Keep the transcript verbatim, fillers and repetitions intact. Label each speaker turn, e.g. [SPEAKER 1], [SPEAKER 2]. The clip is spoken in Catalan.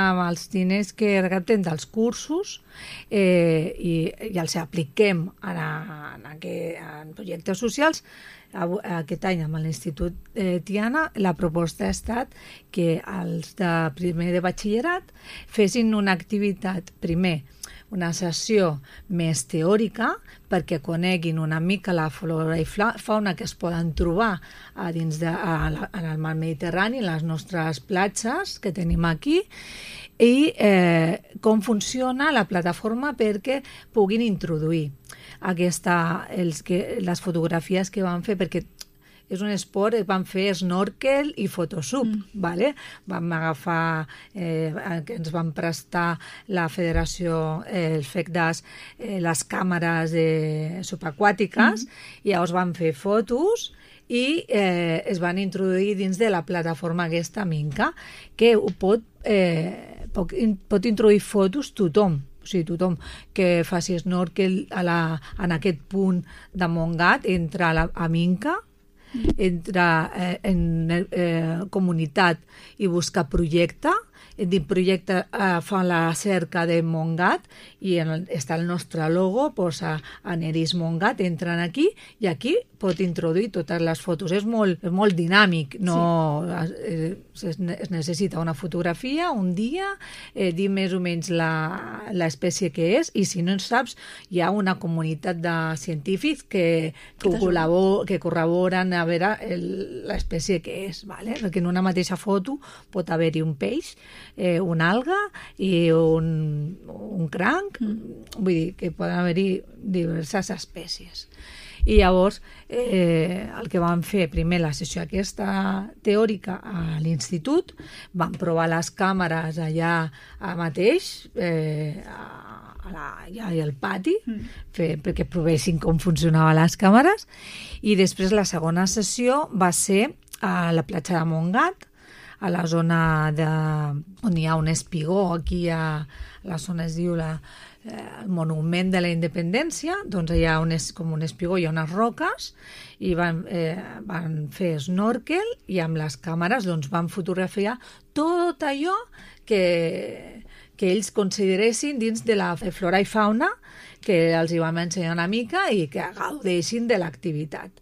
[SPEAKER 1] amb els diners que recaptem dels cursos eh, i, i els apliquem en, a, en, aquest, en projectes socials. Aquest any amb l'Institut eh, Tiana la proposta ha estat que els de primer de batxillerat fessin una activitat, primer una sessió més teòrica perquè coneguin una mica la flora i fauna que es poden trobar a dins de, a la, en el mar Mediterrani, les nostres platges que tenim aquí, i eh, com funciona la plataforma perquè puguin introduir aquesta, els que, les fotografies que van fer, perquè és un esport, van fer snorkel i photoshoot, mm. vale? Vam agafar, eh, que ens van prestar la federació, eh, el F E C D A S, eh, les càmeres eh, subaquàtiques, mm. i llavors van fer fotos i eh, es van introduir dins de la plataforma aquesta Minca, que ho pot, eh, pot, pot introduir fotos tothom. O sigui, tothom que faci snorkel a la, en aquest punt de Montgat, entra a, la, a Minca, entra eh, en eh, comunitat i busca projecte, dins projecte eh, fa la cerca de Montgat i en el, està el nostre logo, posa Aneris Montgat, entren aquí i aquí pot introduir totes les fotos. És molt, és molt dinàmic, no, sí. es, es necessita una fotografia, un dia, eh, dir més o menys l'espècie que és, i si no en saps, hi ha una comunitat de científics que, que, col·labor, que corroboren a veure l'espècie que és, vale? Perquè en una mateixa foto pot haver-hi un peix, eh, una alga i un, un cranc, mm. vull dir que poden haver-hi diverses espècies. I llavors eh, el que vam fer primer la sessió aquesta teòrica a l'institut, vam provar les càmeres allà mateix eh, a, a la, allà al pati mm. fer, perquè provessin com funcionaven les càmeres, i després la segona sessió va ser a la platja de Montgat, a la zona de, on hi ha un espigó, aquí a la zona es diu la el monument de la independència, doncs hi ha un, com un espigó, hi ha unes roques i van, eh, van fer snorkel i amb les càmeres doncs, van fotografiar tot allò que, que ells consideressin dins de la flora i fauna que els hi vam ensenyar una mica i que gaudeixin de l'activitat.